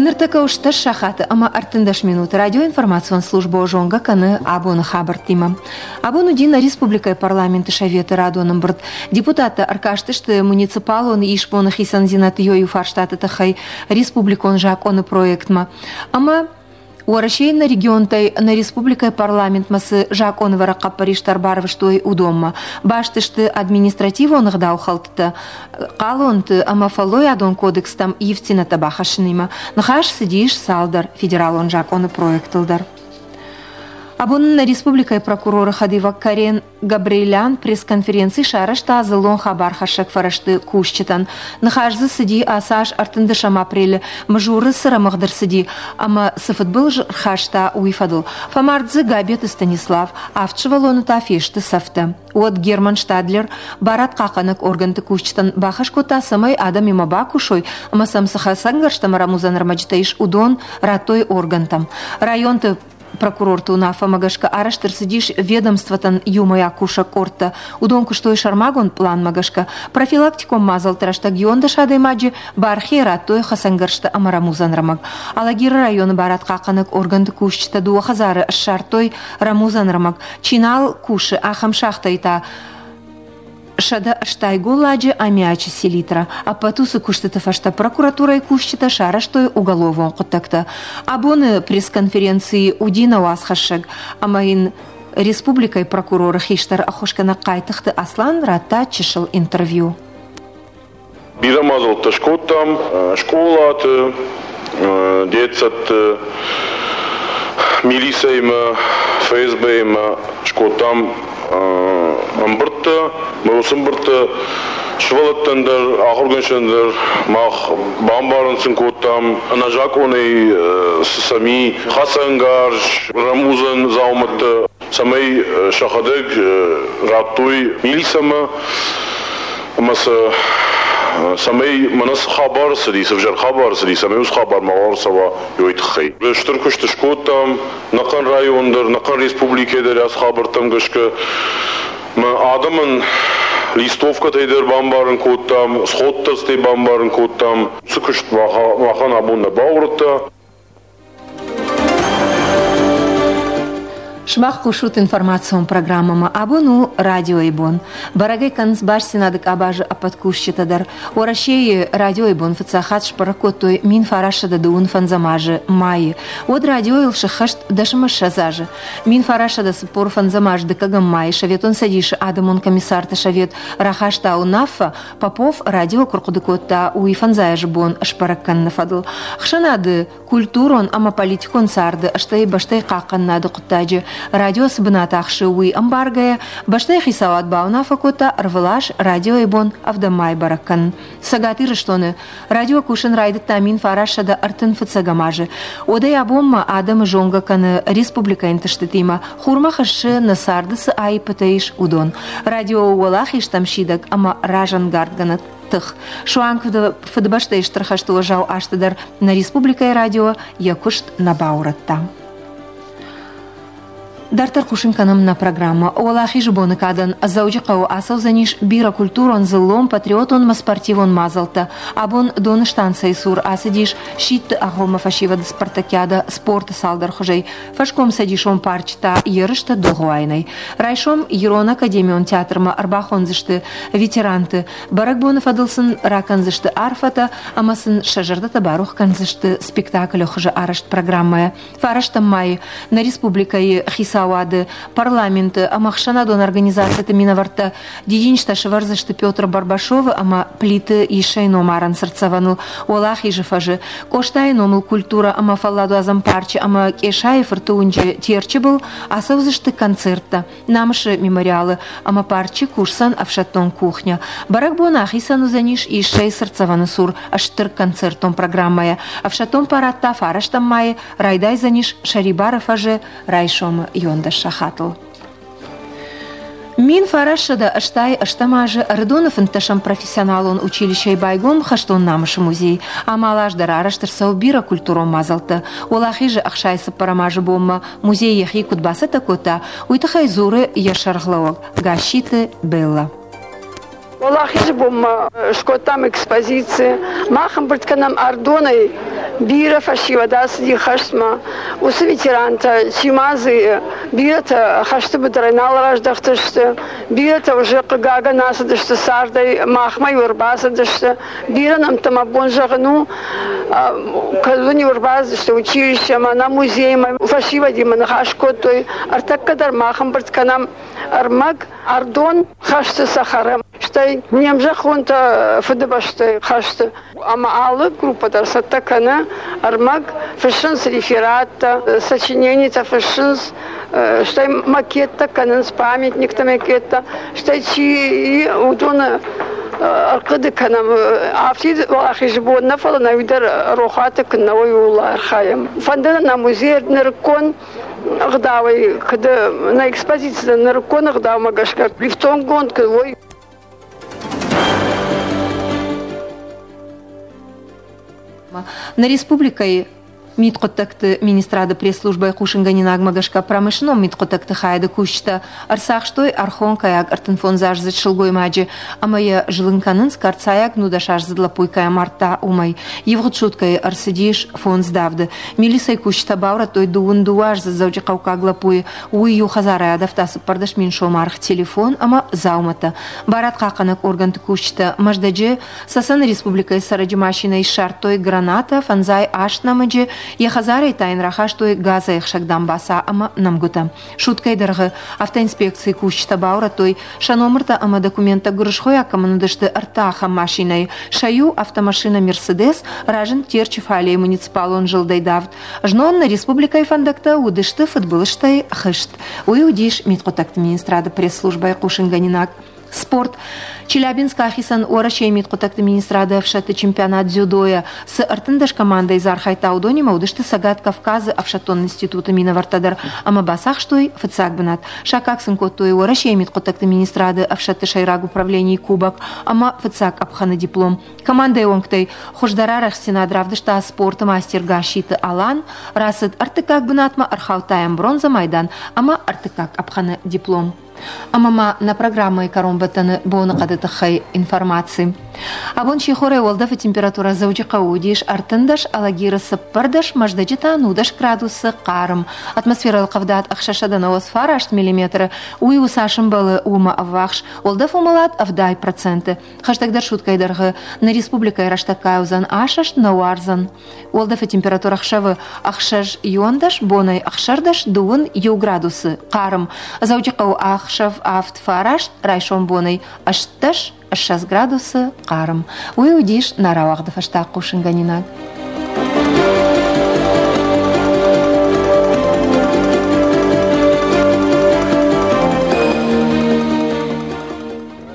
Ныртӕккӕ у стӕс сахаты ӕмӕ 13 минуты. Радиоинформацион службӕ зонгӕ кӕны абоны хабӕрттимӕ. Абон уыди нӕ республикӕйы парламенты советы радон ӕмбырд. Депутаттӕ ӕркастысты муниципалон исбоны хицӕндзинӕдты иу фарстаты тыххӕй республикон закъоны проектмӕ. Ӕмӕ Уӕрӕсейы нӕ регионтӕй нӕ республикӕйы парламентмӕ цы закъонӕвӕрӕг хъӕппӕристӕ ӕрбарвыстой, уыдонмӕ. Баст сты административон ӕгъдаухӕлдтытӕ, хъалонты ӕмӕ фӕллойадон кодекстӕм ивддзинӕдтӕ бахӕссынимӕ. Ныхас цыдис цалдӕр федералон закъоны проектыл дӕр. Абон нӕ республикӕйы прокуроры хӕдивӕг Карен Габриэлян пресс-конференци сарӕзта дзыллон хабархӕссӕг фӕрӕзты кусджытӕн. Ныхас дзы цыди ацы аз ӕртындӕсӕм апрелы Мызуры цы рӕмыгъд ӕрцыди ӕмӕ цы фыдбылыз ӕрхаста, уый фӕдыл. Фӕмард дзы Габеты Станислав, авд сывӕллоны та фесты цӕфтӕ. Уӕд Герман Штадлер барадхъахъхъӕнӕг органты кусджытӕн бахӕс кодта, цӕмӕй адӕмимӕ бакусой ӕмӕ сӕм цы хӕцӕнгӕрзтӕ ӕмӕ рӕмудзӕн ӕрмӕджытӕ ис, уыдон радтой органтӕм. Районты Прокурорты уынаффӕмӕ гӕсгӕ арӕзт ӕрцыдис ведомствотӕн иумӕйаг кусӕг къордтӕ. Уыдон куыстой сӕрмагонд пъланмӕ гӕсгӕ. Профилактикон мадзӕлтты рӕстӕг 11 адӕймаджы бархийӕ радтой хӕцӕнгӕрзтӕ ӕмӕ рӕмудзӕн ӕрмӕг. Алагиры районы барадхъахъхъӕнӕг органты кусджытӕ дыууӕ хӕдзары ссардтой рӕмудзӕн ӕрмӕг. Чи нал кусы, ахӕм шахтӕйы та 180 голладжы аммиачы селитра. Ӕппӕт уыцы куыстыты фӕстӕ прокуратурӕйы кусджытӕ сарӕзтой уголовон хъуыддӕгтӕ. Абоны пресс-конференцийы уыди нӕ уацхӕссӕг ӕмӕ йын республикӕйы прокуроры хистӕр ӕххуысгӕнӕг Хъайтыхты Аслан радта чысыл интервью. Бирӕ мадзӕлттӕ скодтам скъолаты, детсадты, милицӕимӕ, ФСБ-имӕ скодтам ӕмбырдтӕ. Мӕ уыцы ӕмбырдтӕ сывӕллӕттӕн дӕр, ахуыргӕнджытӕн дӕр мах бамбарын сын кодтам, ӕнӕзакъонӕй цы сӕм и хӕцӕнгарз, рӕмудзӕн дзаумӕттӕ, цӕмӕй сӕхӕдӕг радтой милицӕмӕ ӕмӕ сӕ цӕмӕй мӕнӕ цы хабар цыди, цы взӕр хабар цыди, цӕмӕй уыцы хабар мауал ӕрцӕуа, уый тыххӕй. Стыр куыст скодтам, нӕхъӕн район дӕр, нӕхъӕн республикӕ дӕр ацы хабӕрттӕм гӕсгӕ. Мӕ адӕмӕн листовкӕтӕй дӕр бамбарын кодтам, сходтӕй бамбарын кодтам. Цы куыст махӕн абон нӕ бауырныдта. Сымах хъусут информацион программӕмӕ. Абон у радиойы бон. Бӕрӕгӕй кӕнынц бастдзинады къабазы ӕппӕт кусджытӕ дӕр. Уӕрӕсейы радиойы бон фыццаг хатт сбӕрӕг кодтой 1925 азы майы. Уӕд радиойыл сыххӕст 10 азы. 1945 аз дыккӕгӕм майы Советон Цӕдисы адӕмон комиссарты совет рахаста уынаффӕ, Попов радио куы рхъуыды кодта, уый фӕндзай азы бон сбӕрӕг кӕныны фӕдыл. Хсӕнады культурон ӕмӕ политикон царды, стӕй бӕстӕйы хъахъхъӕнынады хъуыддаджы радио цы бынат ахсы, уый ӕмбаргӕйӕ, бӕстӕйы хицауад бауынаффӕ кодта ӕрвылаз радиойы бон ӕвдӕм майы бӕрӕг кӕнын. Цӕгат Ирыстоны радио кусын райдыдта 1935 азы. Уӕдӕй абонмӕ адӕмы зонгӕ кӕны республикӕйы ӕнтыстытимӕ, хурмӕ хӕссы, нӕ царды цы аиппытӕ ис, уыдон. Радио уӕлахизтӕм сидӕг ӕмӕ разӕнгардгӕнӕг тых. Суанг Фыдыбӕстӕйы Стыр хӕсты уӕззау азты дӕр нӕ республикӕйы радио йӕ куыст нӕ баурӕдта. Дарддӕр хъусын кӕнӕм нӕ программӕ. Уӕлахизы боны кадӕн Дзӕуджыхъӕуы ацӕудзӕнис бирӕ культурон, дзыллон, патриотон ӕмӕ спортивон мадзӕлттӕ. Абон Доны станцӕйы цур ацыдис сидты агъоммӕ фӕсивӕды спартакиадӕ спорты цалдӕр хуызӕй. Фӕскомцӕдисон парчы та ерыстӕ догъуайынӕй. Райсом Ирон академион театрмӕ ӕрбахондзысты ветеранты. Бӕрӕгбоны фӕдыл сын ракӕндзысты арфӕтӕ ӕмӕ сын сӕ зӕрдӕтӕ барух кӕндзысты спектаклы хуызы арӕзт программӕйӕ. Фарӕстӕм майы нӕ республикӕйы хицауады, парламенты ӕмӕ ӕхсӕнадон организациты минӕвӕрттӕ дидинджытӕ сӕвӕрдзысты Петр Барбашовы ӕмӕ Плиты Иссӕйы номарӕн цыртдзӕвӕныл Уӕлахизы фӕзы, Къостайы номыл культурӕ ӕмӕ фӕлладуадзӕн парчы ӕмӕ Къесайы фырты уынджы Терчы был ацӕудзысты концерттӕ. Намысы мемориалы ӕмӕ парчы кусдзӕн ӕфсӕддон кухня. Бӕрӕгбон ахицӕн уыдзӕнис Иссӕйы цыртдзӕвӕны цур стыр концертон программӕйӕ. Ӕфсӕддон парад та фарӕстӕм майы райдайдзӕнис Сӕрибары фӕзы райсомы 11 сахатыл. 1988 азы Ӕрыдоны фынддӕсӕм профессионалон училищӕйы байгом Хӕстон намысы музей. Амал аз дӕр арӕзт ӕрцӕуы бирӕ культурон мадзӕлттӕ. Уӕлахизы 64 азы бонмӕ музей йӕхи куыд бацӕттӕ кодта, уый тыххӕй дзуры йӕ сӕргълӕууӕг Гасситы Беллӕ. Уӕлахизы бонмӕ скодтам экспозици. Мах ӕмбырд кӕнӕм Ардонӕй бирӕ фӕсивӕд ацыди хӕстмӕ. Уыцы ветерантӕ, чи ма дзы бирӕтӕ хӕсты быдырӕй нал раздӕхтысты, бирӕтӕ уже хъыгагӕн ацыдысты цардӕй, махмӕ-иу ӕрбацыдысты. Бирӕ нӕмттӕ мӕ бон зӕгъын у, кӕд-иу ӕрбацыдысты училищемӕ, нӕ музеймӕ, фӕсивӕдимӕ ныхас кодтой. Ӕртӕккӕ дӕр мах ӕмбырд кӕнӕм ӕрмӕг ӕрдон хӕсты цӕхӕры, стӕй не мзӕххонтӕ Фыдыбӕстӕйы хӕсты. Ӕмӕ алы группӕ дӕр цӕттӕ кӕны ӕрмӕг, фыссынц рефераттӕ, сочиненитӕ фыссынц, стӕй макеттӕ кӕнынц, памятниктӕ макеттӕ, стӕй чи уыдоны ӕрхъуыды кӕнӕм. Афтид уӕлахизы бон нӕ, фӕлӕ нӕ уый дӕр рохуаты куы нӕ уой, ууыл архайӕм. Фӕнды нӕ музей нырыккон ӕгъдауӕй, куыд нӕ экспозицитӕ нырыккон ӕгъдаумӕ гӕсгӕ ифтонггонд куыд уой. Нӕ республикӕйы Мидхъуыддӕгты министрады пресс-службӕйы хъусынгӕнинагмӕ гӕсгӕ промышленнон мидхъуыддӕгты хайады кусджытӕ ӕрцахстой ӕрхонкӕйаг 35-аздзыд сылгоймаджы ӕмӕ йӕ зылын кӕнынц карцайаг 19-аздзыд лӕппуйы кӕй амардта, уымӕй. Ивгъуыд суткӕйы ӕрцыдис фондз давды. Милицӕйы кусджытӕ баурӕдтой дыууын дыууӕаздзыд дзӕуджыхъӕуккаг лӕппуйы. Уый иу хӕдзарӕй адавта 14 000 сомы аргъ телефон ӕмӕ дзаумӕттӕ. Барадхъахъхъӕнӕг органты кусджытӕ Мӕздӕджы Цӕцӕны республикӕйы цӕрӕджы машинӕйы ссардтой гранатӕ, фӕндзай аст нӕмыджы, йӕ хӕдзарӕй та йын рахастой газӕйхсӕг дамбаца ӕмӕ нӕмгуытӕ. Суткӕйы дӕргъы автоинспекцийы кусджытӕ баурӕдтой, сӕ номыртӕ ӕмӕ документтӕ гуырысхойаг кӕмӕн уыдысты ӕртӕ ахӕм машинӕйы. Сӕ иу автомашинӕ «Мерседес» разынд Терчы фалейы муниципалон зылдӕй давд. Знон нӕ республикӕйы фӕндӕгтӕ уыдысты фыдбылызтӕй хызт. Уый уыдис мидхъуыддӕгты министрады пресс-службӕйы хъусынгӕнинаг. Спорт. Челябинскы ахицӕн Уӕрӕсейы мидхъуыддӕгты министрады ӕфсӕдты чемпионат дзюдойӕ. Цы 13 командӕйы дзы архайдта, уыдонимӕ уыдысты Цӕгат Кавказы ӕфсӕддон институты минӕвӕрттӕ дӕр ӕмӕ бацахстой фыццаг бынат. Саккаг сын кодтой Уӕрӕсейы мидхъуыддӕгты министрады ӕфсӕдты сӕйраг управленийы кубок ӕмӕ фыццаг къӕпхӕны диплом. Командӕйы уӕнгтӕй хуыздӕр арӕхстдзинад равдыста спорты мастер Гасситы Алан, рацыд ӕртыккаг бынатмӕ, ӕрхаудта йӕм бронзӕ майдан ӕмӕ ӕртыккаг къӕпхӕны диплом. Ӕмӕ ма нӕ программӕйы кӕронбӕттӕны боныхъӕды тыххӕй информаци. Абон сихорӕй уӕлдӕфы температурӕ Дзӕуджыхъӕуы уыдис 13, Алагиры 14, Мӕздӕджы та 19 градусы хъарм. Атмосферӕйыл къӕвдат 699 миллиметры, уый у цас ӕмбӕлы, уымӕ ӕввахс. Уӕлдӕф уымӕлад 70%. Хӕстӕгдӕр суткӕйы дӕргъы нӕ республикӕйы рӕстӕггай уыдзӕн асӕст, нӕ уардзӕн. Уӕлдӕфы температурӕ ӕхсӕвы ӕхсӕз иуӕндӕс, бонӕй ӕхсӕрдӕс дыууын иу градусы хъарм. Дзӕуджыхъӕуы ӕхсӕв авд фараст, райсом бонӕй 18 20 градусы хъарм. Уый уыдис нӕ рауагъды фӕстаг хъусынгӕнинаг.